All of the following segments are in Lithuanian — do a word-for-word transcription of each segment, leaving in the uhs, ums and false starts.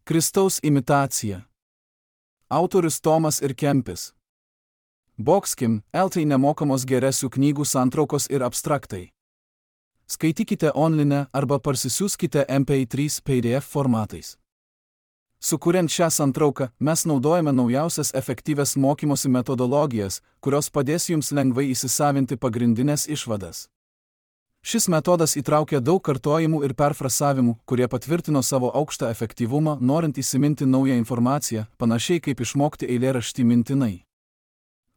Kristaus imitacija. Autorius Tomas ir Kempis. Boxkim, eltai nemokamos geresių knygų santraukos ir abstraktai. Skaitykite online arba parsisiųskite M P trys P D F formatais. Sukuriant šią santrauką, mes naudojame naujausias efektyvias mokymosi metodologijas, kurios padės jums lengvai įsisavinti pagrindinės išvadas. Šis metodas įtraukia daug kartojimų ir perfrasavimų, kurie patvirtino savo aukštą efektyvumą, norint įsiminti naują informaciją, panašiai kaip išmokti eilėraštį mintinai.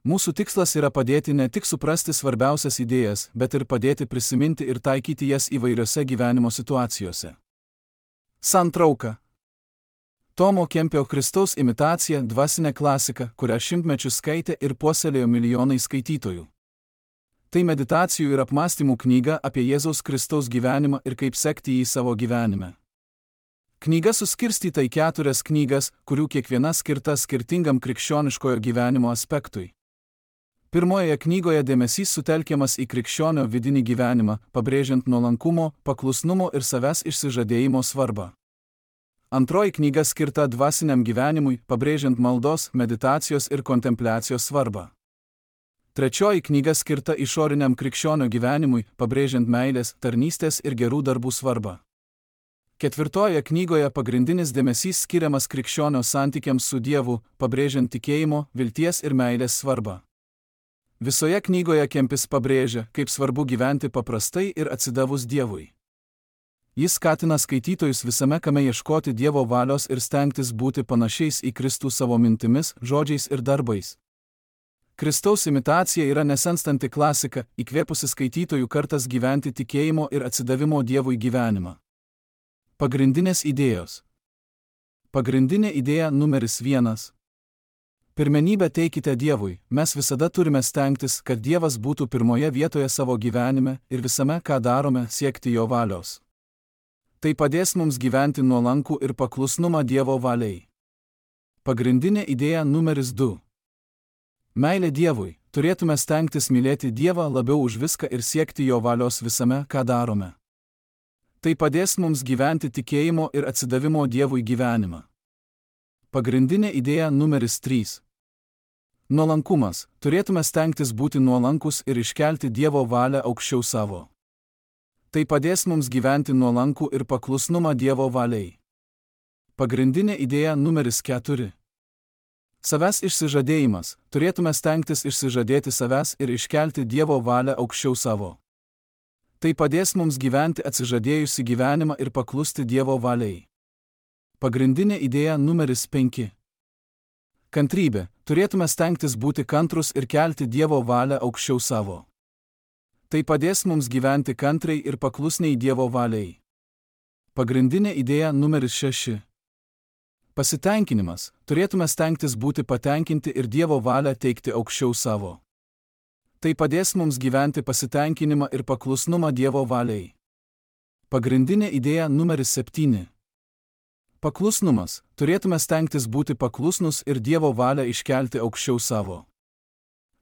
Mūsų tikslas yra padėti ne tik suprasti svarbiausias idėjas, bet ir padėti prisiminti ir taikyti jas įvairiose gyvenimo situacijose. Santrauka. Tomo Kempio Kristaus imitacija – dvasinė klasika, kurią šimtmečius skaitė ir puoselėjo milijonai skaitytojų. Tai meditacijų ir apmąstymų knyga apie Jėzaus Kristaus gyvenimą ir kaip sekti jį savo gyvenime. Knyga suskirstyta į keturias knygas, kurių kiekviena skirta skirtingam krikščioniškojo gyvenimo aspektui. Pirmojoje knygoje dėmesys sutelkiamas į krikščionio vidinį gyvenimą, pabrėžiant nuolankumo, paklusnumo ir savęs išsižadėjimo svarbą. Antroji knyga skirta dvasiniam gyvenimui, pabrėžiant maldos, meditacijos ir kontempliacijos svarbą. Trečioji knyga skirta išoriniam krikščionio gyvenimui, pabrėžiant meilės, tarnystės ir gerų darbų svarbą. Ketvirtoje knygoje pagrindinis dėmesys skiriamas krikščionio santykiams su Dievu, pabrėžiant tikėjimo, vilties ir meilės svarbą. Visoje knygoje Kempis pabrėžia, kaip svarbu gyventi paprastai ir atsidavus Dievui. Jis skatina skaitytojus visame kame ieškoti Dievo valios ir stengtis būti panašiais į Kristų savo mintimis, žodžiais ir darbais. Kristaus imitacija yra nesenstanti klasika, įkvėpusi skaitytojų kartas gyventi tikėjimo ir atsidavimo Dievui gyvenimą. Pagrindinės idėjos. Pagrindinė idėja numeris vienas. Pirmenybę teikite Dievui, mes visada turime stengtis, kad Dievas būtų pirmoje vietoje savo gyvenime ir visame, ką darome, siekti jo valios. Tai padės mums gyventi nuolankų ir paklusnumą Dievo valiai. Pagrindinė idėja numeris du. Meilė Dievui, turėtume stengtis mylėti Dievą labiau už viską ir siekti jo valios visame, ką darome. Tai padės mums gyventi tikėjimo ir atsidavimo Dievui gyvenimą. Pagrindinė idėja numeris trys. Nuolankumas, turėtume stengtis būti nuolankus ir iškelti Dievo valią aukščiau savo. Tai padės mums gyventi nuolankų ir paklusnumą Dievo valiai. Pagrindinė idėja numeris keturi. Savęs išsižadėjimas, turėtume stengtis išsižadėti savęs ir iškelti Dievo valią aukščiau savo. Tai padės mums gyventi atsižadėjusi gyvenimą ir paklusti Dievo valiai. Pagrindinė idėja numeris penki. Kantrybė, turėtume stengtis būti kantrus ir kelti Dievo valią aukščiau savo. Tai padės mums gyventi kantriai ir paklusniai Dievo valiai. Pagrindinė idėja numeris šeši. Pasitenkinimas, turėtume stengtis būti patenkinti ir Dievo valią teikti aukščiau savo. Tai padės mums gyventi pasitenkinimą ir paklusnumą Dievo valiai. Pagrindinė idėja numeris septyni. Paklusnumas, turėtume stengtis būti paklusnus ir Dievo valią iškelti aukščiau savo.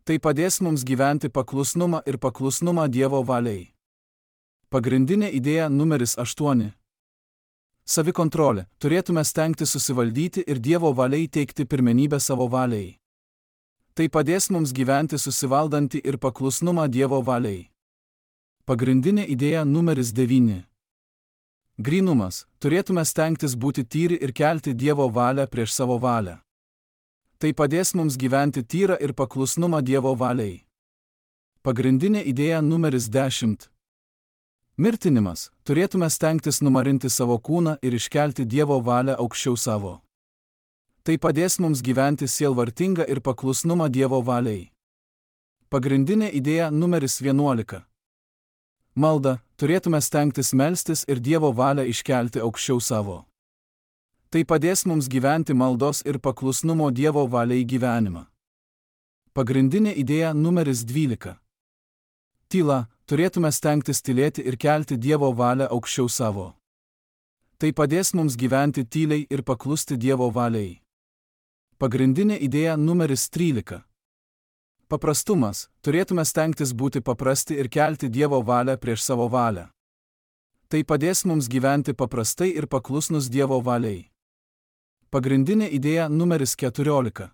Tai padės mums gyventi paklusnumą ir paklusnumą Dievo valiai. Pagrindinė idėja numeris aštuoni. Savikontrolė, turėtume stengtis susivaldyti ir Dievo valiai teikti pirmenybę savo valiai. Tai padės mums gyventi susivaldantį ir paklusnumą Dievo valiai. Pagrindinė idėja numeris devyni. Grynumas, turėtume stengtis būti tyri ir kelti Dievo valią prieš savo valią. Tai padės mums gyventi tyrą ir paklusnumą Dievo valiai. Pagrindinė idėja numeris dešimt. Mirtinimas, turėtume stengtis numarinti savo kūną ir iškelti Dievo valią aukščiau savo. Tai padės mums gyventi sielvartingą ir paklusnumą Dievo valiai. Pagrindinė idėja numeris vienuolika. Malda, turėtume stengtis melstis ir Dievo valią iškelti aukščiau savo. Tai padės mums gyventi maldos ir paklusnumo Dievo valiai gyvenimą. Pagrindinė idėja numeris dvylika. Tyla, turėtume stengtis tylėti ir kelti Dievo valią aukščiau savo. Tai padės mums gyventi tyliai ir paklusti Dievo valiai. Pagrindinė idėja numeris trylika. Paprastumas, turėtume stengtis būti paprasti ir kelti Dievo valią prieš savo valią. Tai padės mums gyventi paprastai ir paklusnus Dievo valiai. Pagrindinė idėja numeris keturiolika.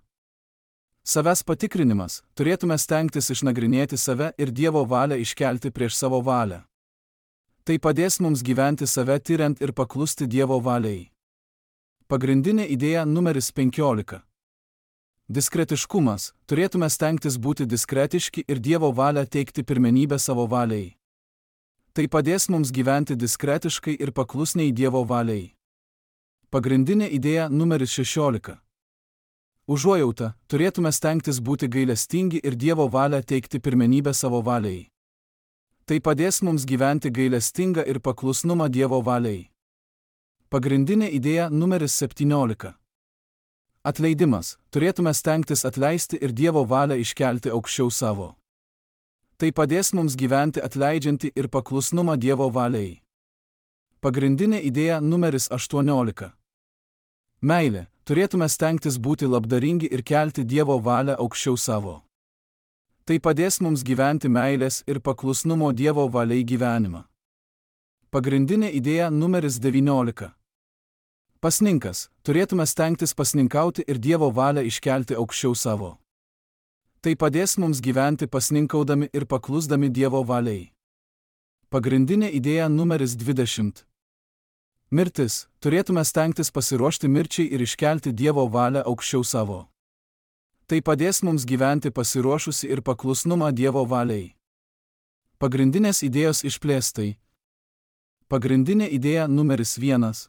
Savęs patikrinimas. Turėtume stengtis išnagrinėti save ir Dievo valią iškelti prieš savo valią. Tai padės mums gyventi save tyriant ir paklusti Dievo valiai. Pagrindinė idėja numeris penkiolika. Diskretiškumas. Turėtume stengtis būti diskretiški ir Dievo valią teikti pirmenybę savo valiai. Tai padės mums gyventi diskretiškai ir paklusniai Dievo valiai. Pagrindinė idėja numeris šešiolika. Užuojauta. Turėtume stengtis būti gailestingi ir Dievo valią teikti pirmenybę savo valiai. Tai padės mums gyventi gailestingą ir paklusnumą Dievo valiai. Pagrindinė idėja numeris septyniolika. Atleidimas. Turėtume stengtis atleisti ir Dievo valią iškelti aukščiau savo. Tai padės mums gyventi atleidžiantį ir paklusnumą Dievo valiai. Pagrindinė idėja numeris aštuoniolika. Meilė. Turėtume stengtis būti labdaringi ir kelti Dievo valią aukščiau savo. Tai padės mums gyventi meilės ir paklusnumo Dievo valiai gyvenimą. Pagrindinė idėja numeris devyniolika. Pasninkas. Turėtume stengtis pasninkauti ir Dievo valią iškelti aukščiau savo. Tai padės mums gyventi pasninkaudami ir paklusdami Dievo valiai. Pagrindinė idėja numeris dvidešimt. Mirtis. Turėtume stengtis pasiruošti mirčiai ir iškelti Dievo valią aukščiau savo. Tai padės mums gyventi pasiruošusi ir paklusnumą Dievo valiai. Pagrindinės idėjos išplėstai. Pagrindinė idėja numeris vienas.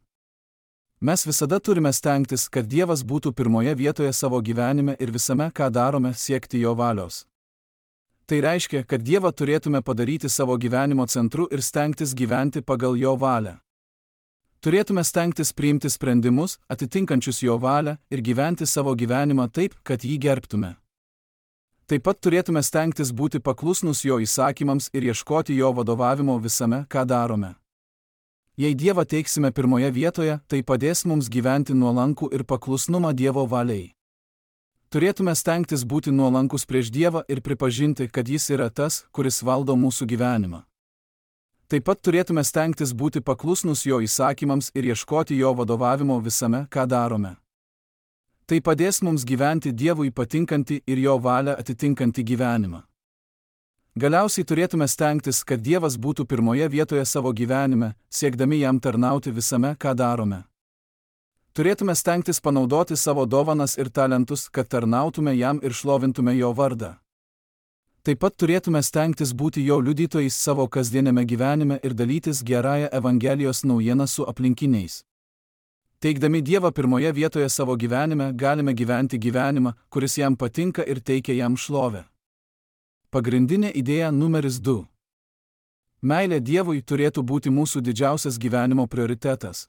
Mes visada turime stengtis, kad Dievas būtų pirmoje vietoje savo gyvenime ir visame, ką darome, siekti jo valios. Tai reiškia, kad Dievą turėtume padaryti savo gyvenimo centru ir stengtis gyventi pagal jo valią. Turėtume stengtis priimti sprendimus, atitinkančius jo valią, ir gyventi savo gyvenimą taip, kad jį gerbtume. Taip pat turėtume stengtis būti paklusnus jo įsakymams ir ieškoti jo vadovavimo visame, ką darome. Jei Dievą teiksime pirmoje vietoje, tai padės mums gyventi nuolankų ir paklusnumą Dievo valiai. Turėtume stengtis būti nuolankus prieš Dievą ir pripažinti, kad jis yra tas, kuris valdo mūsų gyvenimą. Taip pat turėtume stengtis būti paklusnus jo įsakymams ir ieškoti jo vadovavimo visame, ką darome. Tai padės mums gyventi Dievui patinkantį ir jo valią atitinkantį gyvenimą. Galiausiai turėtume stengtis, kad Dievas būtų pirmoje vietoje savo gyvenime, siekdami jam tarnauti visame, ką darome. Turėtume stengtis panaudoti savo dovanas ir talentus, kad tarnautume jam ir šlovintume jo vardą. Taip pat turėtume stengtis būti jo liudytojais savo kasdienėme gyvenime ir dalytis gerąją Evangelijos naujieną su aplinkiniais. Teikdami Dievą pirmoje vietoje savo gyvenime, galime gyventi gyvenimą, kuris jam patinka ir teikia jam šlovę. Pagrindinė idėja numeris du. Meilė Dievui turėtų būti mūsų didžiausias gyvenimo prioritetas.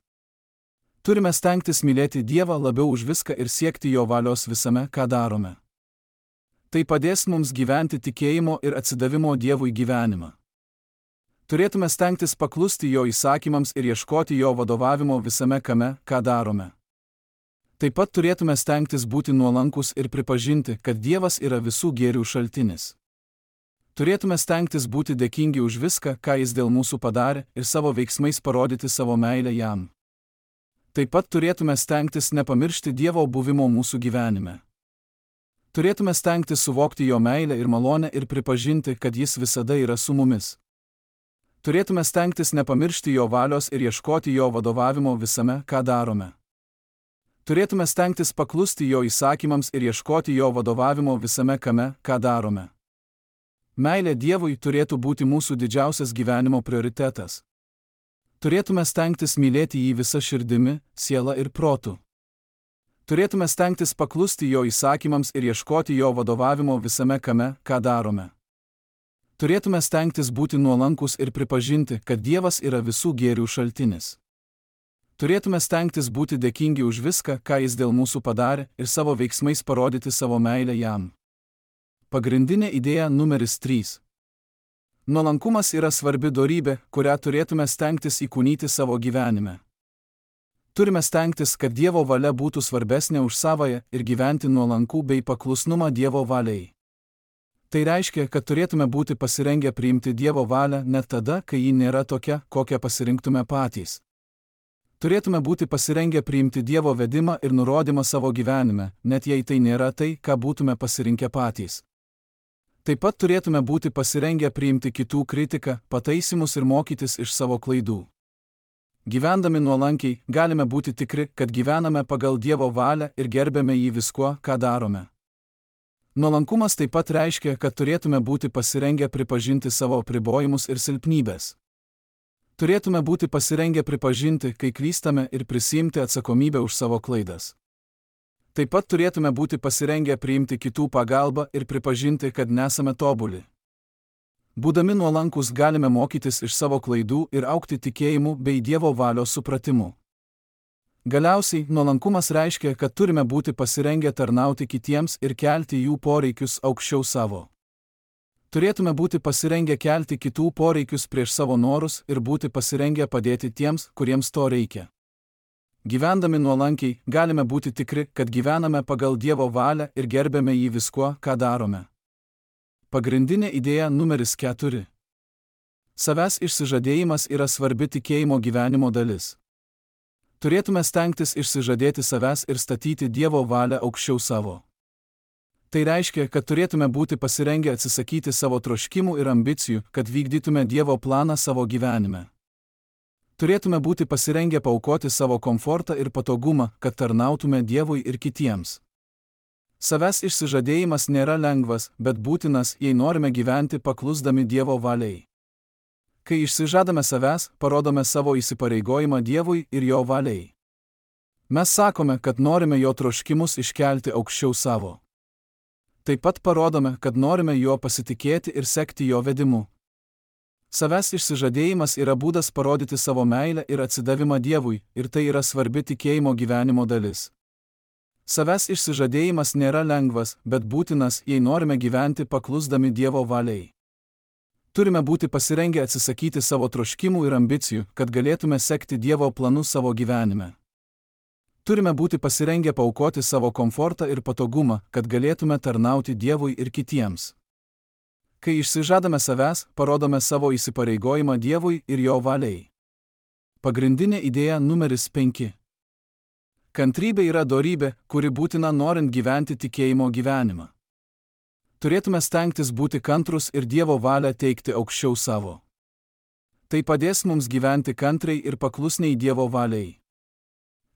Turime stengtis mylėti Dievą labiau už viską ir siekti jo valios visame, ką darome. Tai padės mums gyventi tikėjimo ir atsidavimo Dievui gyvenimą. Turėtume stengtis paklusti jo įsakymams ir ieškoti jo vadovavimo visame, kame, ką darome. Taip pat turėtume stengtis būti nuolankus ir pripažinti, kad Dievas yra visų gėrių šaltinis. Turėtume stengtis būti dėkingi už viską, ką jis dėl mūsų padarė, ir savo veiksmais parodyti savo meilę jam. Taip pat turėtume stengtis nepamiršti Dievo buvimo mūsų gyvenime. Turėtume stengtis suvokti jo meilę ir malonę ir pripažinti, kad jis visada yra su mumis. Turėtume stengtis nepamiršti jo valios ir ieškoti jo vadovavimo visame, ką darome. Turėtume stengtis paklusti jo įsakymams ir ieškoti jo vadovavimo visame, kame, ką darome. Meilė Dievui turėtų būti mūsų didžiausias gyvenimo prioritetas. Turėtume stengtis mylėti jį visa širdimi, siela ir protu. Turėtume stengtis paklusti jo įsakymams ir ieškoti jo vadovavimo visame, kame, ką darome. Turėtume stengtis būti nuolankus ir pripažinti, kad Dievas yra visų gėrių šaltinis. Turėtume stengtis būti dėkingi už viską, ką jis dėl mūsų padarė, ir savo veiksmais parodyti savo meilę jam. Pagrindinė idėja numeris trys. Nuolankumas yra svarbi dorybė, kurią turėtume stengtis įkūnyti savo gyvenime. Turime stengtis, kad Dievo valia būtų svarbesnė už savąją ir gyventi nuolankų bei paklusnumą Dievo valiai. Tai reiškia, kad turėtume būti pasirengę priimti Dievo valią net tada, kai ji nėra tokia, kokią pasirinktume patys. Turėtume būti pasirengę priimti Dievo vedimą ir nurodymą savo gyvenime, net jei tai nėra tai, ką būtume pasirinkę patys. Taip pat turėtume būti pasirengę priimti kitų kritiką, pataisymus ir mokytis iš savo klaidų. Gyvendami nuolankiai, galime būti tikri, kad gyvename pagal Dievo valią ir gerbėme jį viskuo, ką darome. Nuolankumas taip pat reiškia, kad turėtume būti pasirengę pripažinti savo apribojimus ir silpnybės. Turėtume būti pasirengę pripažinti, kai klystame ir prisiimti atsakomybę už savo klaidas. Taip pat turėtume būti pasirengę priimti kitų pagalbą ir pripažinti, kad nesame tobuli. Būdami nuolankus galime mokytis iš savo klaidų ir augti tikėjimu bei Dievo valios supratimu. Galiausiai, nuolankumas reiškia, kad turime būti pasirengę tarnauti kitiems ir kelti jų poreikius aukščiau savo. Turėtume būti pasirengę kelti kitų poreikius prieš savo norus ir būti pasirengę padėti tiems, kuriems to reikia. Gyvendami nuolankiai, galime būti tikri, kad gyvename pagal Dievo valią ir gerbėme jį viskuo, ką darome. Pagrindinė idėja numeris keturi. Savęs išsižadėjimas yra svarbi tikėjimo gyvenimo dalis. Turėtume stengtis išsižadėti savęs ir statyti Dievo valią aukščiau savo. Tai reiškia, kad turėtume būti pasirengę atsisakyti savo troškimų ir ambicijų, kad vykdytume Dievo planą savo gyvenime. Turėtume būti pasirengę paaukoti savo komfortą ir patogumą, kad tarnautume Dievui ir kitiems. Savęs išsižadėjimas nėra lengvas, bet būtinas, jei norime gyventi paklusdami Dievo valiai. Kai išsižadame savęs, parodome savo įsipareigojimą Dievui ir jo valiai. Mes sakome, kad norime jo troškimus iškelti aukščiau savo. Taip pat parodome, kad norime juo pasitikėti ir sekti jo vedimu. Savęs išsižadėjimas yra būdas parodyti savo meilę ir atsidavimą Dievui, ir tai yra svarbi tikėjimo gyvenimo dalis. Savęs išsižadėjimas nėra lengvas, bet būtinas, jei norime gyventi paklusdami Dievo valiai. Turime būti pasirengę atsisakyti savo troškimų ir ambicijų, kad galėtume sekti Dievo planus savo gyvenime. Turime būti pasirengę paaukoti savo komfortą ir patogumą, kad galėtume tarnauti Dievui ir kitiems. Kai išsižadame savęs, parodome savo įsipareigojimą Dievui ir jo valiai. Pagrindinė idėja numeris penki. Kantrybė yra dorybė, kuri būtina norint gyventi tikėjimo gyvenimą. Turėtume stengtis būti kantrus ir Dievo valią teikti aukščiau savo. Tai padės mums gyventi kantriai ir paklusniai Dievo valiai.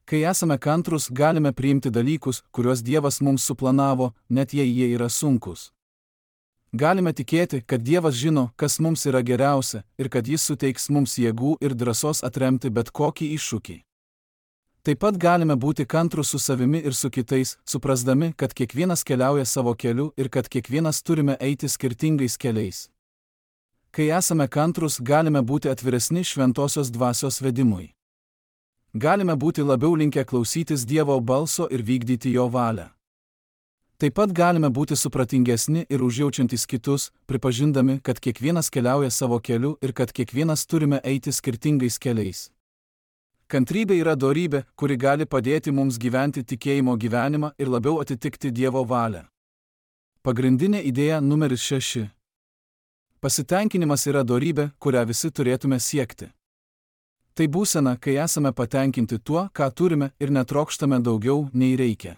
Kai esame kantrus, galime priimti dalykus, kuriuos Dievas mums suplanavo, net jei jie yra sunkus. Galime tikėti, kad Dievas žino, kas mums yra geriausia, ir kad Jis suteiks mums jėgų ir drąsos atremti bet kokį iššūkį. Taip pat galime būti kantrus su savimi ir su kitais, suprasdami, kad kiekvienas keliauja savo keliu ir kad kiekvienas turime eiti skirtingais keliais. Kai esame kantrus, galime būti atviresni šventosios dvasios vedimui. Galime būti labiau linkę klausytis Dievo balso ir vykdyti jo valią. Taip pat galime būti supratingesni ir užjaučiantys kitus, pripažindami, kad kiekvienas keliauja savo keliu ir kad kiekvienas turime eiti skirtingais keliais. Kantrybė yra dorybė, kuri gali padėti mums gyventi tikėjimo gyvenimą ir labiau atitikti Dievo valią. Pagrindinė idėja numeris šeši. Pasitenkinimas yra dorybė, kurią visi turėtume siekti. Tai būsena, kai esame patenkinti tuo, ką turime ir netrokštame daugiau, nei reikia.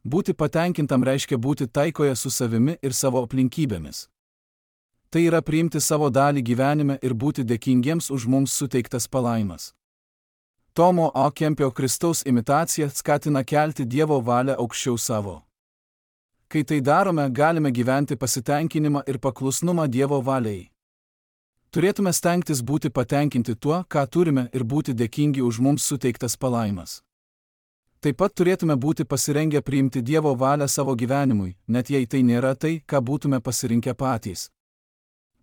Būti patenkintam reiškia būti taikoje su savimi ir savo aplinkybėmis. Tai yra priimti savo dalį gyvenime ir būti dėkingiems už mums suteiktas palaimas. Tomo A. Kempio Kristaus imitacija skatina kelti Dievo valią aukščiau savo. Kai tai darome, galime gyventi pasitenkinimą ir paklusnumą Dievo valiai. Turėtume stengtis būti patenkinti tuo, ką turime ir būti dėkingi už mums suteiktas palaimas. Taip pat turėtume būti pasirengę priimti Dievo valią savo gyvenimui, net jei tai nėra tai, ką būtume pasirinkę patys.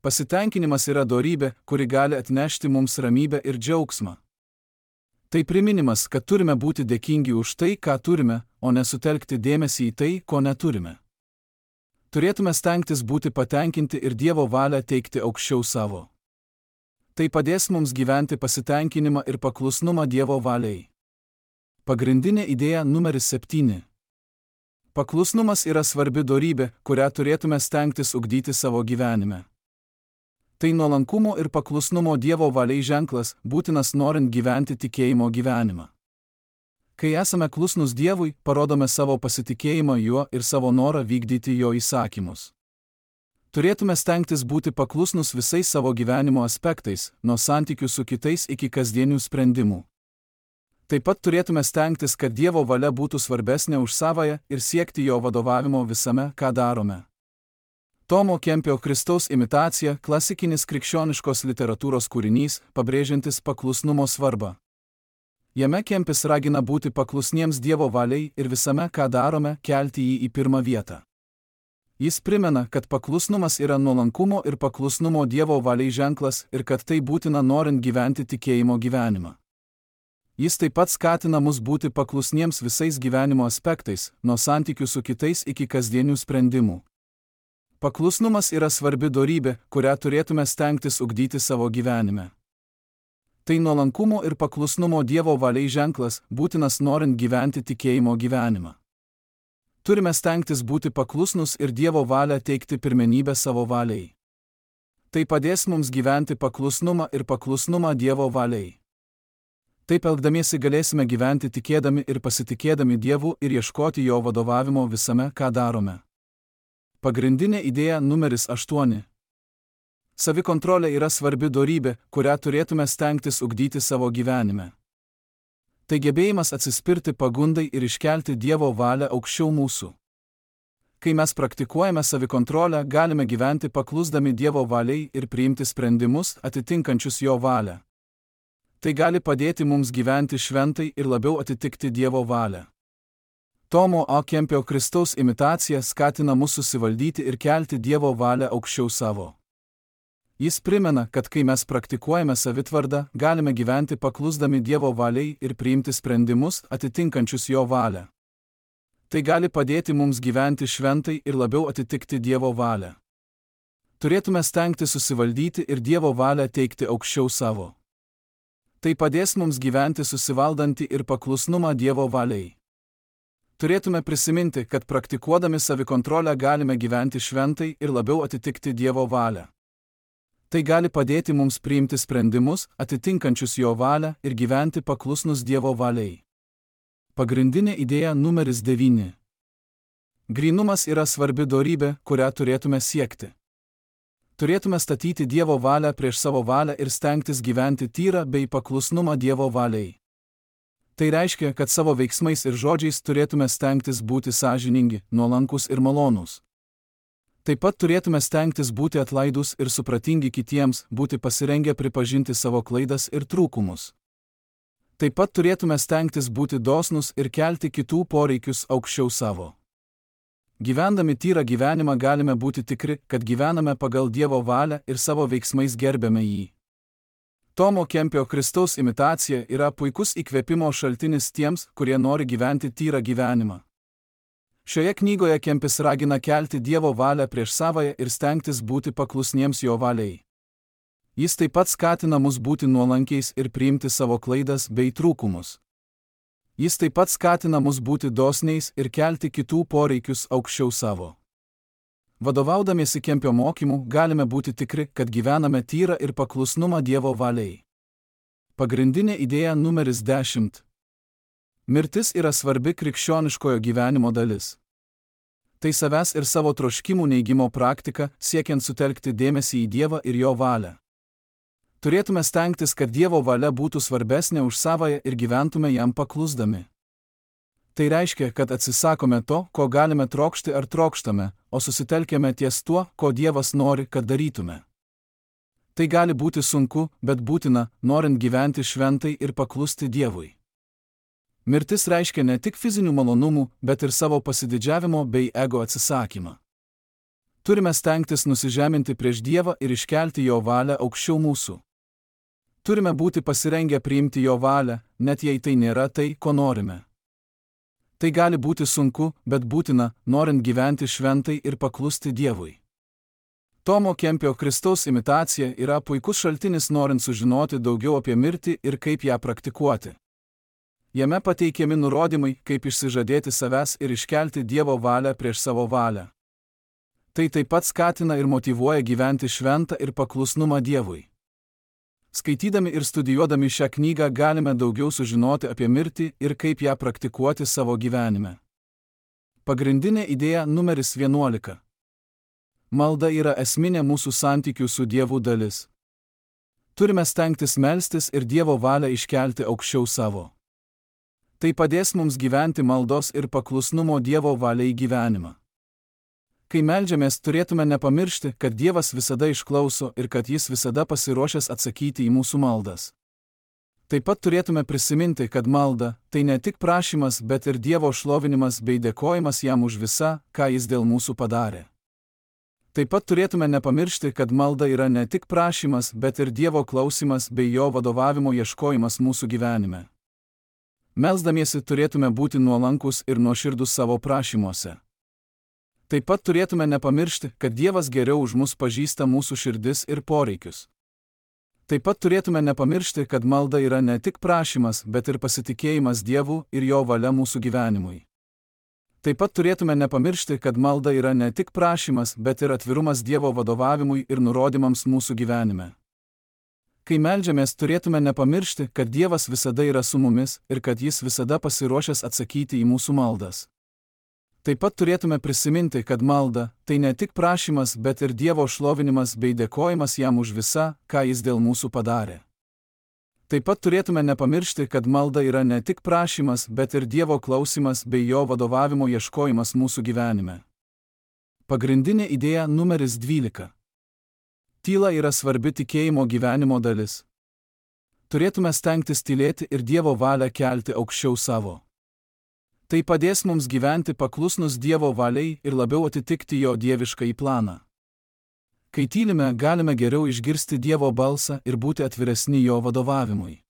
Pasitenkinimas yra dorybė, kuri gali atnešti mums ramybę ir džiaugsmą. Tai priminimas, kad turime būti dėkingi už tai, ką turime, o nesutelkti dėmesį į tai, ko neturime. Turėtume stengtis būti patenkinti ir Dievo valią teikti aukščiau savo. Tai padės mums gyventi pasitenkinimą ir paklusnumą Dievo valiai. Pagrindinė idėja numeris septyni. Paklusnumas yra svarbi dorybė, kurią turėtume stengtis ugdyti savo gyvenime. Tai nuolankumo ir paklusnumo Dievo valiai ženklas, būtinas norint gyventi tikėjimo gyvenimą. Kai esame klusnus Dievui, parodome savo pasitikėjimą Juo ir savo norą vykdyti Jo įsakymus. Turėtume stengtis būti paklusnus visais savo gyvenimo aspektais, nuo santykių su kitais iki kasdienių sprendimų. Taip pat turėtume stengtis, kad Dievo valia būtų svarbesnė už savąją ir siekti Jo vadovavimo visame, ką darome. Tomo Kempio Kristaus imitacija – klasikinis krikščioniškos literatūros kūrinys, pabrėžiantis paklusnumo svarbą. Jame Kempis ragina būti paklusniems Dievo valiai ir visame, ką darome, kelti jį į pirmą vietą. Jis primena, kad paklusnumas yra nuolankumo ir paklusnumo Dievo valiai ženklas ir kad tai būtina norint gyventi tikėjimo gyvenimą. Jis taip pat skatina mus būti paklusniems visais gyvenimo aspektais, nuo santykių su kitais iki kasdienių sprendimų. Paklusnumas yra svarbi dorybė, kurią turėtume stengtis ugdyti savo gyvenime. Tai nuolankumo ir paklusnumo Dievo valiai ženklas, būtinas norint gyventi tikėjimo gyvenimą. Turime stengtis būti paklusnus ir Dievo valią teikti pirmenybę savo valiai. Tai padės mums gyventi paklusnumą ir paklusnumą Dievo valiai. Taip elgdamiesi galėsime gyventi tikėdami ir pasitikėdami Dievu ir ieškoti Jo vadovavimo visame, ką darome. Pagrindinė idėja numeris aštuoni. Savikontrolė yra svarbi dorybė, kurią turėtume stengtis ugdyti savo gyvenime. Tai gebėjimas atsispirti pagundai ir iškelti Dievo valią aukščiau mūsų. Kai mes praktikuojame savikontrolę, galime gyventi paklusdami Dievo valiai ir priimti sprendimus atitinkančius Jo valią. Tai gali padėti mums gyventi šventai ir labiau atitikti Dievo valią. Tomo A. Kempio Kristaus imitacija skatina mus susivaldyti ir kelti Dievo valią aukščiau savo. Jis primena, kad kai mes praktikuojame savitvardą, galime gyventi paklusdami Dievo valiai ir priimti sprendimus atitinkančius Jo valią. Tai gali padėti mums gyventi šventai ir labiau atitikti Dievo valią. Turėtume stengti susivaldyti ir Dievo valią teikti aukščiau savo. Tai padės mums gyventi susivaldantį ir paklusnumą Dievo valiai. Turėtume prisiminti, kad praktikuodami savikontrolę galime gyventi šventai ir labiau atitikti Dievo valią. Tai gali padėti mums priimti sprendimus, atitinkančius Jo valią ir gyventi paklusnus Dievo valiai. Pagrindinė idėja numeris devyni. Grynumas yra svarbi dorybė, kurią turėtume siekti. Turėtume statyti Dievo valią prieš savo valią ir stengtis gyventi tyrą bei paklusnumą Dievo valiai. Tai reiškia, kad savo veiksmais ir žodžiais turėtume stengtis būti sąžiningi, nuolankus ir malonūs. Taip pat turėtume stengtis būti atlaidūs ir supratingi kitiems, būti pasirengę pripažinti savo klaidas ir trūkumus. Taip pat turėtume stengtis būti dosnūs ir kelti kitų poreikius aukščiau savo. Gyvendami tyrą gyvenimą galime būti tikri, kad gyvename pagal Dievo valią ir savo veiksmais gerbiame jį. Tomo Kempio Kristaus imitacija yra puikus įkvėpimo šaltinis tiems, kurie nori gyventi tyrą gyvenimą. Šioje knygoje Kempis ragina kelti Dievo valią prieš savąją ir stengtis būti paklusniems Jo valiai. Jis taip pat skatina mus būti nuolankiais ir priimti savo klaidas bei trūkumus. Jis taip pat skatina mus būti dosniais ir kelti kitų poreikius aukščiau savo. Vadovaudamiesi Kempio mokymu, galime būti tikri, kad gyvename tyrą ir paklusnumą Dievo valiai. Pagrindinė idėja numeris dešimt. Mirtis yra svarbi krikščioniškojo gyvenimo dalis. Tai savęs ir savo troškimų neigimo praktika, siekiant sutelkti dėmesį į Dievą ir Jo valią. Turėtume stengtis, kad Dievo valia būtų svarbesnė už savąją ir gyventume jam paklusdami. Tai reiškia, kad atsisakome to, ko galime trokšti ar trokštame, o susitelkėme ties tuo, ko Dievas nori, kad darytume. Tai gali būti sunku, bet būtina, norint gyventi šventai ir paklusti Dievui. Mirtis reiškia ne tik fizinių malonumų, bet ir savo pasididžiavimo bei ego atsisakymą. Turime stengtis nusižeminti prieš Dievą ir iškelti Jo valią aukščiau mūsų. Turime būti pasirengę priimti Jo valią, net jei tai nėra tai, ko norime. Tai gali būti sunku, bet būtina, norint gyventi šventai ir paklusti Dievui. Tomo Kempio Kristaus imitacija yra puikus šaltinis norint sužinoti daugiau apie mirtį ir kaip ją praktikuoti. Jame pateikiami nurodymai, kaip išsižadėti savęs ir iškelti Dievo valią prieš savo valią. Tai taip pat skatina ir motyvuoja gyventi šventą ir paklusnumą Dievui. Skaitydami ir studijuodami šią knygą galime daugiau sužinoti apie mirtį ir kaip ją praktikuoti savo gyvenime. Pagrindinė idėja numeris vienuolika. Malda yra esminė mūsų santykių su Dievu dalis. Turime stengtis melstis ir Dievo valią iškelti aukščiau savo. Tai padės mums gyventi maldos ir paklusnumo Dievo valiai gyvenimą. Kai meldžiamės, turėtume nepamiršti, kad Dievas visada išklauso ir kad Jis visada pasiruošęs atsakyti į mūsų maldas. Taip pat turėtume prisiminti, kad malda – tai ne tik prašymas, bet ir Dievo šlovinimas bei dėkojimas Jam už visą, ką Jis dėl mūsų padarė. Taip pat turėtume nepamiršti, kad malda yra ne tik prašymas, bet ir Dievo klausimas bei Jo vadovavimo ieškojimas mūsų gyvenime. Melsdamiesi turėtume būti nuolankus ir nuoširdūs savo prašymuose. Taip pat turėtume nepamiršti, kad Dievas geriau už mus pažįsta mūsų širdis ir poreikius. Taip pat turėtume nepamiršti, kad malda yra ne tik prašymas, bet ir pasitikėjimas Dievu ir Jo valia mūsų gyvenimui. Taip pat turėtume nepamiršti, kad malda yra ne tik prašymas, bet ir atvirumas Dievo vadovavimui ir nurodymams mūsų gyvenime. Kai meldžiamės, turėtume nepamiršti, kad Dievas visada yra su mumis ir kad Jis visada pasiruošęs atsakyti į mūsų maldas. Taip pat turėtume prisiminti, kad malda – tai ne tik prašymas, bet ir Dievo šlovinimas bei dėkojimas Jam už visą, ką Jis dėl mūsų padarė. Taip pat turėtume nepamiršti, kad malda yra ne tik prašymas, bet ir Dievo klausimas bei Jo vadovavimo ieškojimas mūsų gyvenime. Pagrindinė idėja numeris dvylika. Tyla yra svarbi tikėjimo gyvenimo dalis. Turėtume stengtis tylėti ir Dievo valią kelti aukščiau savo. Tai padės mums gyventi paklusnus Dievo valiai ir labiau atitikti Jo dieviškąjį planą. Kai tylime, galime geriau išgirsti Dievo balsą ir būti atviresni Jo vadovavimui.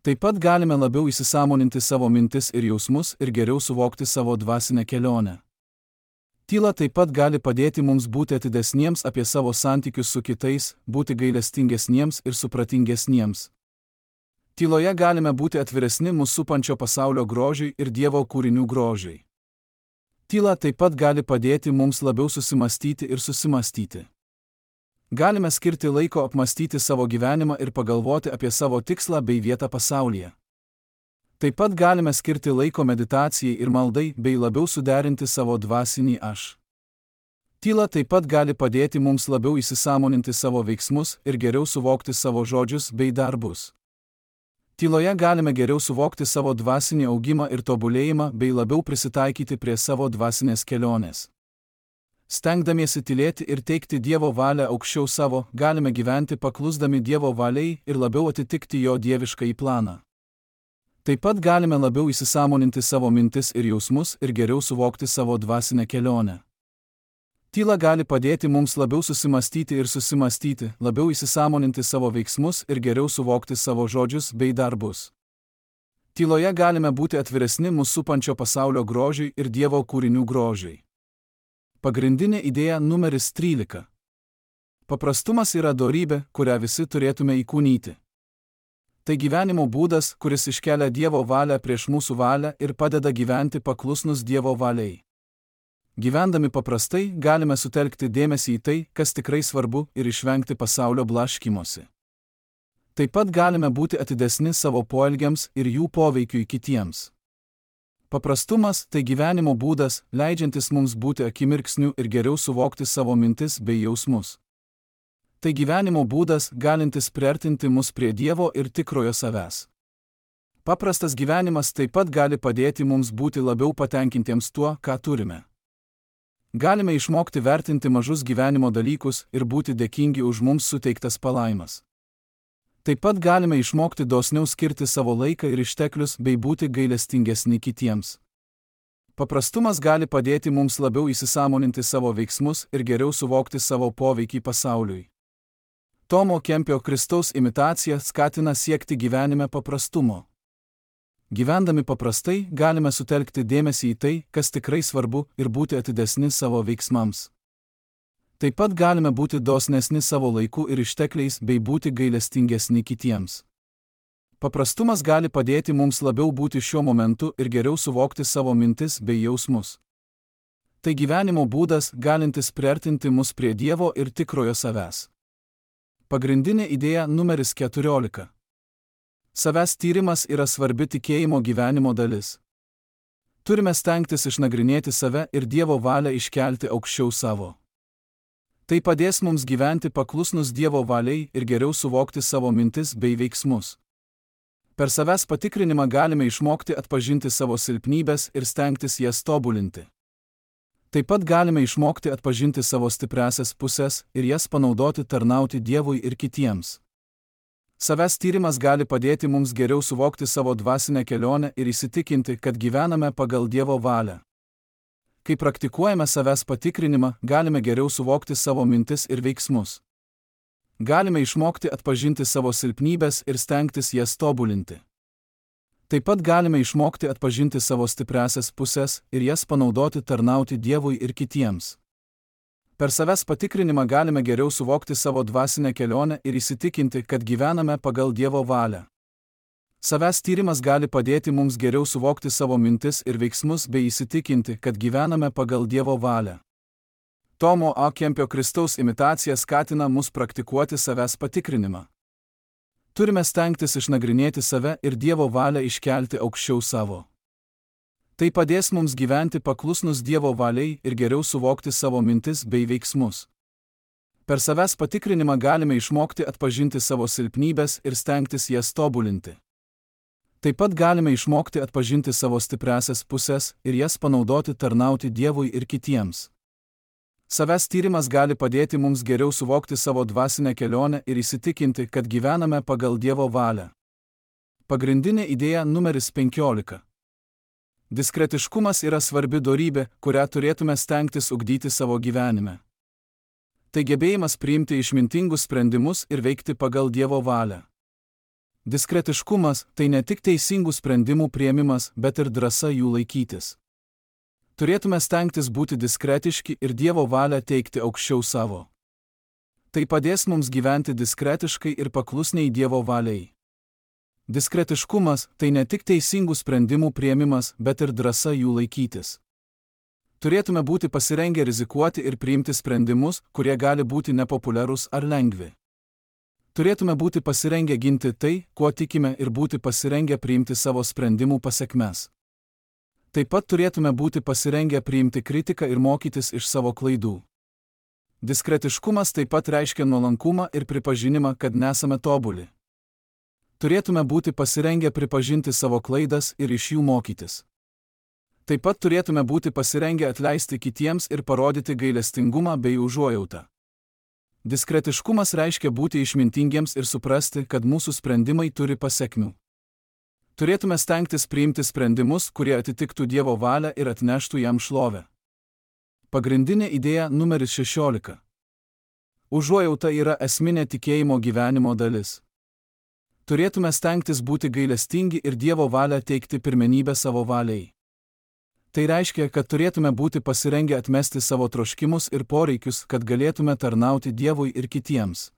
Taip pat galime labiau įsisąmoninti savo mintis ir jausmus ir geriau suvokti savo dvasinę kelionę. Tyla taip pat gali padėti mums būti atidesniems apie savo santykius su kitais, būti gailestingesniems ir supratingesniems. Tyloje galime būti atviresni mūsų supančio pasaulio grožiui ir Dievo kūrinių grožiui. Tyla taip pat gali padėti mums labiau susimastyti ir susimastyti. Galime skirti laiko apmastyti savo gyvenimą ir pagalvoti apie savo tikslą bei vietą pasaulyje. Taip pat galime skirti laiko meditacijai ir maldai bei labiau suderinti savo dvasinį aš. Tyla taip pat gali padėti mums labiau įsisąmoninti savo veiksmus ir geriau suvokti savo žodžius bei darbus. Tyloje galime geriau suvokti savo dvasinį augimą ir tobulėjimą bei labiau prisitaikyti prie savo dvasinės kelionės. Stengdamiesi tylėti ir teikti Dievo valią aukščiau savo, galime gyventi paklusdami Dievo valiai ir labiau atitikti Jo dieviškąjį planą. Taip pat galime labiau įsisąmoninti savo mintis ir jausmus ir geriau suvokti savo dvasinę kelionę. Tyla gali padėti mums labiau susimastyti ir susimastyti, labiau įsisąmoninti savo veiksmus ir geriau suvokti savo žodžius bei darbus. Tyloje galime būti atviresni mūsų supančio pasaulio grožiui ir Dievo kūrinių grožiui. Pagrindinė idėja numeris trylika. Paprastumas yra dorybė, kurią visi turėtume įkūnyti. Tai gyvenimo būdas, kuris iškelia Dievo valią prieš mūsų valią ir padeda gyventi paklusnus Dievo valiai. Gyvendami paprastai, galime sutelkti dėmesį į tai, kas tikrai svarbu, ir išvengti pasaulio blaškymosi. Taip pat galime būti atidesni savo poelgiams ir jų poveikiui kitiems. Paprastumas – tai gyvenimo būdas, leidžiantis mums būti akimirksniu ir geriau suvokti savo mintis bei jausmus. Tai gyvenimo būdas, galintis priartinti mus prie Dievo ir tikrojo savęs. Paprastas gyvenimas taip pat gali padėti mums būti labiau patenkintiems tuo, ką turime. Galime išmokti vertinti mažus gyvenimo dalykus ir būti dėkingi už mums suteiktas palaimas. Taip pat galime išmokti dosniau skirti savo laiką ir išteklius bei būti gailestingesni kitiems. Paprastumas gali padėti mums labiau įsisąmoninti savo veiksmus ir geriau suvokti savo poveikį pasauliui. Tomo Kempio Kristaus imitacija skatina siekti gyvenime paprastumo. Gyvendami paprastai, galime sutelkti dėmesį į tai, kas tikrai svarbu, ir būti atidesni savo veiksmams. Taip pat galime būti dosnesni savo laiku ir ištekliais bei būti gailestingesni kitiems. Paprastumas gali padėti mums labiau būti šiuo momentu ir geriau suvokti savo mintis bei jausmus. Tai gyvenimo būdas, galintis priartinti mus prie Dievo ir tikrojo savęs. Pagrindinė idėja numeris keturiolika. Savęs tyrimas yra svarbi tikėjimo gyvenimo dalis. Turime stengtis išnagrinėti save ir Dievo valią iškelti aukščiau savo. Tai padės mums gyventi paklusnus Dievo valiai ir geriau suvokti savo mintis bei veiksmus. Per savęs patikrinimą galime išmokti atpažinti savo silpnybes ir stengtis jas tobulinti. Taip pat galime išmokti atpažinti savo stipriąsias pusės ir jas panaudoti tarnauti Dievui ir kitiems. Savęs tyrimas gali padėti mums geriau suvokti savo dvasinę kelionę ir įsitikinti, kad gyvename pagal Dievo valią. Kai praktikuojame savęs patikrinimą, galime geriau suvokti savo mintis ir veiksmus. Galime išmokti atpažinti savo silpnybes ir stengtis jas tobulinti. Taip pat galime išmokti atpažinti savo stipriąsias pusės ir jas panaudoti tarnauti Dievui ir kitiems. Per savęs patikrinimą galime geriau suvokti savo dvasinę kelionę ir įsitikinti, kad gyvename pagal Dievo valią. Savęs tyrimas gali padėti mums geriau suvokti savo mintis ir veiksmus bei įsitikinti, kad gyvename pagal Dievo valią. Tomo A. Kempio Kristaus imitacija skatina mus praktikuoti savęs patikrinimą. Turime stengtis išnagrinėti save ir Dievo valią iškelti aukščiau savo. Tai padės mums gyventi paklusnus Dievo valiai ir geriau suvokti savo mintis bei veiksmus. Per savęs patikrinimą galime išmokti atpažinti savo silpnybes ir stengtis jas tobulinti. Taip pat galime išmokti atpažinti savo stipriąsias pusės ir jas panaudoti tarnauti Dievui ir kitiems. Savęs tyrimas gali padėti mums geriau suvokti savo dvasinę kelionę ir įsitikinti, kad gyvename pagal Dievo valią. Pagrindinė idėja numeris penkiolika. Diskretiškumas yra svarbi dorybė, kurią turėtume stengtis ugdyti savo gyvenime. Tai gebėjimas priimti išmintingus sprendimus ir veikti pagal Dievo valią. Diskretiškumas – tai ne tik teisingų sprendimų priėmimas, bet ir drąsa jų laikytis. Turėtume stengtis būti diskretiški ir Dievo valią teikti aukščiau savo. Tai padės mums gyventi diskretiškai ir paklusniai Dievo valiai. Diskretiškumas – tai ne tik teisingų sprendimų priėmimas, bet ir drąsa jų laikytis. Turėtume būti pasirengę rizikuoti ir priimti sprendimus, kurie gali būti nepopuliarūs ar lengvi. Turėtume būti pasirengę ginti tai, kuo tikime, ir būti pasirengę priimti savo sprendimų pasekmes. Taip pat turėtume būti pasirengę priimti kritiką ir mokytis iš savo klaidų. Diskretiškumas taip pat reiškia nuolankumą ir pripažinimą, kad nesame tobuli. Turėtume būti pasirengę pripažinti savo klaidas ir iš jų mokytis. Taip pat turėtume būti pasirengę atleisti kitiems ir parodyti gailestingumą bei užuojautą. Diskretiškumas reiškia būti išmintingiems ir suprasti, kad mūsų sprendimai turi pasekmių. Turėtume stengtis priimti sprendimus, kurie atitiktų Dievo valią ir atneštų jam šlovę. Pagrindinė idėja numeris šešiolika. Užuojauta yra esminė tikėjimo gyvenimo dalis. Turėtume stengtis būti gailestingi ir Dievo valią teikti pirmenybę savo valiai. Tai reiškia, kad turėtume būti pasirengę atmesti savo troškimus ir poreikius, kad galėtume tarnauti Dievui ir kitiems.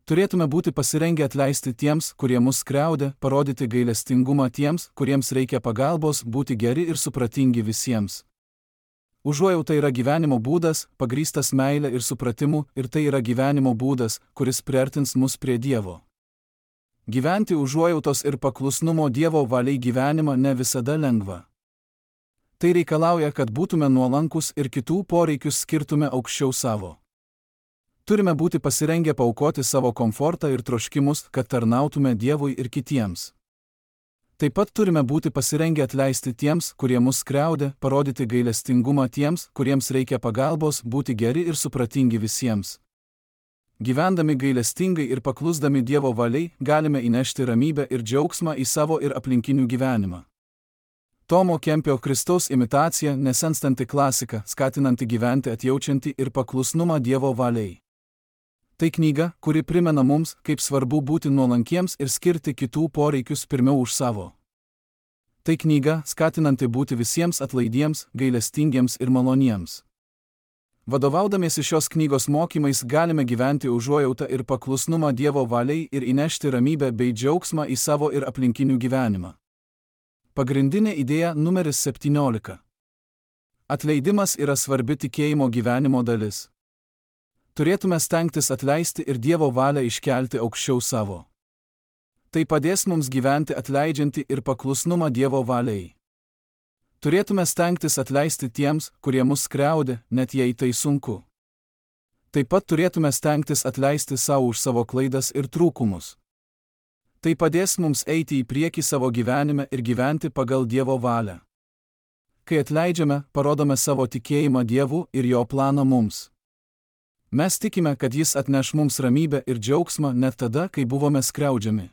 Turėtume būti pasirengę atleisti tiems, kurie mus skriaudė, parodyti gailestingumą tiems, kuriems reikia pagalbos, būti geri ir supratingi visiems. Užuojauta yra gyvenimo būdas, pagrįstas meile ir supratimu, ir tai yra gyvenimo būdas, kuris priartins mus prie Dievo. Gyventi užuojautos ir paklusnumo Dievo valiai gyvenimą ne visada lengva. Tai reikalauja, kad būtume nuolankus ir kitų poreikius skirtume aukščiau savo. Turime būti pasirengę paaukoti savo komfortą ir troškimus, kad tarnautume Dievui ir kitiems. Taip pat turime būti pasirengę atleisti tiems, kurie mus skriaudė, parodyti gailestingumą tiems, kuriems reikia pagalbos, būti geri ir supratingi visiems. Gyvendami gailestingai ir paklusdami Dievo valiai, galime įnešti ramybę ir džiaugsmą į savo ir aplinkinių gyvenimą. Tomo Kempio Kristaus imitacija – nesenstanti klasika, skatinanti gyventi atjaučianti ir paklusnumą Dievo valiai. Tai knyga, kuri primena mums, kaip svarbu būti nuolankiems ir skirti kitų poreikius pirmiau už savo. Tai knyga, skatinanti būti visiems atlaidiems, gailestingiems ir maloniems. Vadovaudamiesi šios knygos mokymais galime gyventi užuojautą ir paklusnumą Dievo valiai ir įnešti ramybę bei džiaugsmą į savo ir aplinkinių gyvenimą. Pagrindinė idėja numeris septyniolika. Atleidimas yra svarbi tikėjimo gyvenimo dalis. Turėtume stengtis atleisti ir Dievo valią iškelti aukščiau savo. Tai padės mums gyventi atleidžiantį ir paklusnumą Dievo valiai. Turėtume stengtis atleisti tiems, kurie mus skriaudė, net jei tai sunku. Taip pat turėtume stengtis atleisti savo už savo klaidas ir trūkumus. Tai padės mums eiti į priekį savo gyvenime ir gyventi pagal Dievo valią. Kai atleidžiame, parodome savo tikėjimą Dievu ir jo planą mums. Mes tikime, kad Jis atneš mums ramybę ir džiaugsmą net tada, kai buvome skriaudžiami.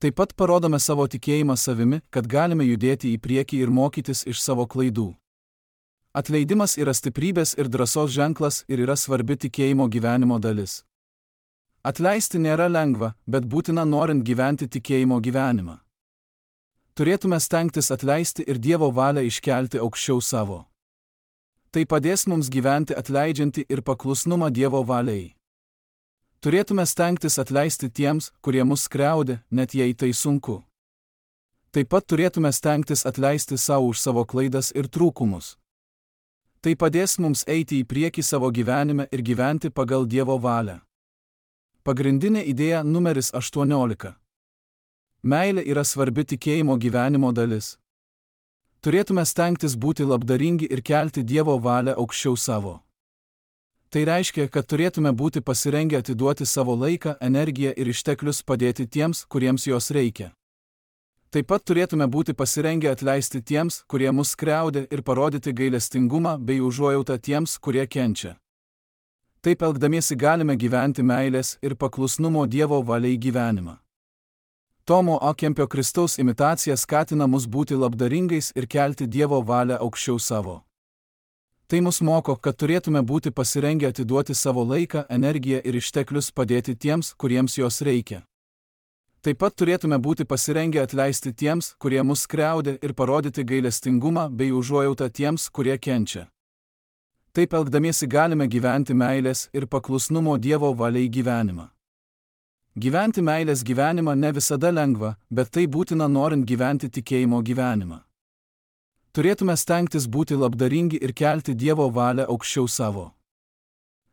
Taip pat parodome savo tikėjimą savimi, kad galime judėti į priekį ir mokytis iš savo klaidų. Atleidimas yra stiprybės ir drąsos ženklas ir yra svarbi tikėjimo gyvenimo dalis. Atleisti nėra lengva, bet būtina norint gyventi tikėjimo gyvenimą. Turėtume stengtis atleisti ir Dievo valią iškelti aukščiau savo. Tai padės mums gyventi atleidžiantį ir paklusnumą Dievo valiai. Turėtume stengtis atleisti tiems, kurie mus skriaudė, net jei tai sunku. Taip pat turėtume stengtis atleisti savo už savo klaidas ir trūkumus. Tai padės mums eiti į priekį savo gyvenime ir gyventi pagal Dievo valią. Pagrindinė idėja numeris aštuoniolika. Meilė yra svarbi tikėjimo gyvenimo dalis. Turėtume stengtis būti labdaringi ir kelti Dievo valią aukščiau savo. Tai reiškia, kad turėtume būti pasirengę atiduoti savo laiką, energiją ir išteklius padėti tiems, kuriems jos reikia. Taip pat turėtume būti pasirengę atleisti tiems, kurie mus skriaudė ir parodyti gailestingumą bei užuojautą tiems, kurie kenčia. Taip elgdamiesi galime gyventi meilės ir paklusnumo Dievo valiai gyvenimą. Tomo A. Kempio Kristaus imitacija skatina mus būti labdaringais ir kelti Dievo valią aukščiau savo. Tai mus moko, kad turėtume būti pasirengę atiduoti savo laiką, energiją ir išteklius padėti tiems, kuriems jos reikia. Taip pat turėtume būti pasirengę atleisti tiems, kurie mus skriaudė ir parodyti gailestingumą bei užuojautą tiems, kurie kenčia. Taip elgdamiesi galime gyventi meilės ir paklusnumo Dievo valiai gyvenimą. Gyventi meilės gyvenimą ne visada lengva, bet tai būtina norint gyventi tikėjimo gyvenimą. Turėtume stengtis būti labdaringi ir kelti Dievo valią aukščiau savo.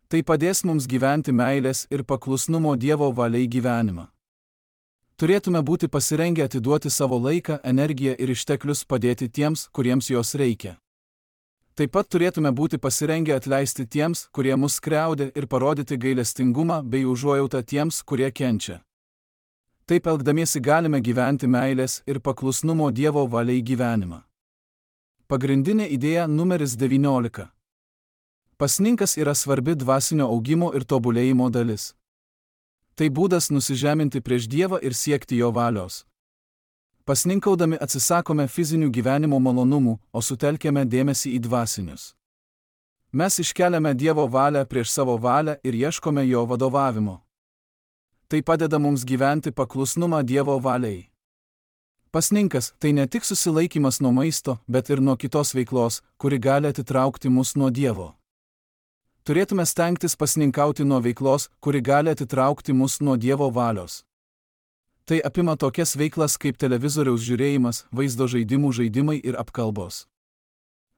Tai padės mums gyventi meilės ir paklusnumo Dievo valiai gyvenimą. Turėtume būti pasirengę atiduoti savo laiką, energiją ir išteklius padėti tiems, kuriems jos reikia. Taip pat turėtume būti pasirengę atleisti tiems, kurie mus skriaudė ir parodyti gailestingumą bei užuojautą tiems, kurie kenčia. Taip elgdamiesi galime gyventi meilės ir paklusnumo Dievo valiai gyvenimą. Pagrindinė idėja numeris devyniolika. Pasninkas yra svarbi dvasinio augimo ir tobulėjimo dalis. Tai būdas nusižeminti prieš Dievą ir siekti jo valios. Pasninkaudami atsisakome fizinių gyvenimo malonumų, o sutelkiame dėmesį į dvasinius. Mes iškeliame Dievo valią prieš savo valią ir ieškome jo vadovavimo. Tai padeda mums gyventi paklusnumą Dievo valiai. Pasninkas – tai ne tik susilaikymas nuo maisto, bet ir nuo kitos veiklos, kuri gali atitraukti mus nuo Dievo. Turėtume stengtis pasninkauti nuo veiklos, kuri gali atitraukti mus nuo Dievo valios. Tai apima tokias veiklas kaip televizoriaus žiūrėjimas, vaizdo žaidimų žaidimai ir apkalbos.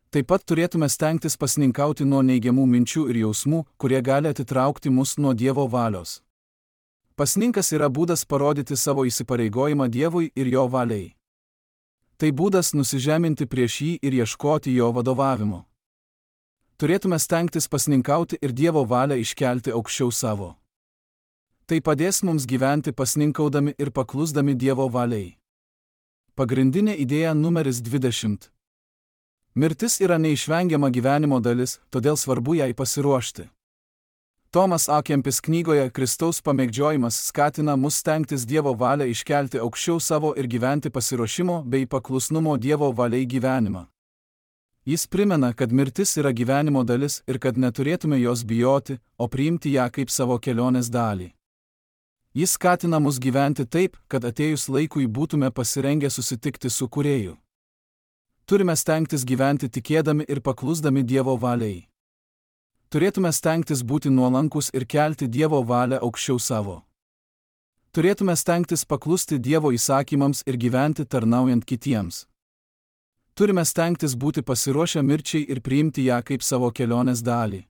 Taip pat turėtume stengtis pasninkauti nuo neigiamų minčių ir jausmų, kurie gali atitraukti mus nuo Dievo valios. Pasninkas yra būdas parodyti savo įsipareigojimą Dievui ir jo valiai. Tai būdas nusižeminti prieš jį ir ieškoti jo vadovavimo. Turėtume stengtis pasninkauti ir Dievo valią iškelti aukščiau savo. Tai padės mums gyventi pasninkaudami ir paklusdami Dievo valiai. Pagrindinė idėja numeris dvidešimt. Mirtis yra neišvengiama gyvenimo dalis, todėl svarbu jai pasiruošti. Tomas A. Kempis knygoje Kristaus pamėgdžiojimas skatina mus stengtis Dievo valią iškelti aukščiau savo ir gyventi pasiruošimo bei paklusnumo Dievo valiai gyvenimą. Jis primena, kad mirtis yra gyvenimo dalis ir kad neturėtume jos bijoti, o priimti ją kaip savo kelionės dalį. Jis skatina mus gyventi taip, kad atėjus laikui būtume pasirengę susitikti su Kūrėju. Turime stengtis gyventi tikėdami ir paklusdami Dievo valiai. Turėtume stengtis būti nuolankus ir kelti Dievo valią aukščiau savo. Turėtume stengtis paklusti Dievo įsakymams ir gyventi tarnaujant kitiems. Turime stengtis būti pasiruošę mirčiai ir priimti ją kaip savo kelionės dalį.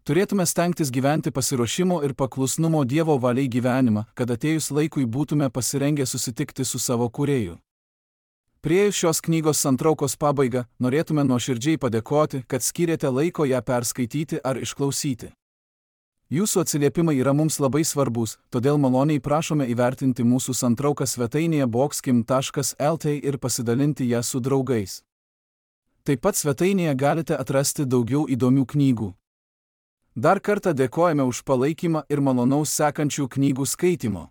Turėtume stengtis gyventi pasiruošimo ir paklusnumo Dievo valiai gyvenimą, kad atėjus laikui būtume pasirengę susitikti su savo Kūrėju. Priėjus šios knygos santraukos pabaigą, norėtume nuoširdžiai padėkoti, kad skyrėte laiko ją perskaityti ar išklausyti. Jūsų atsiliepimai yra mums labai svarbus, todėl maloniai prašome įvertinti mūsų santrauką svetainėje boxkim taškas lt ir pasidalinti ją su draugais. Taip pat svetainėje galite atrasti daugiau įdomių knygų. Dar kartą dėkojame už palaikymą ir malonaus sekančių knygų skaitimo.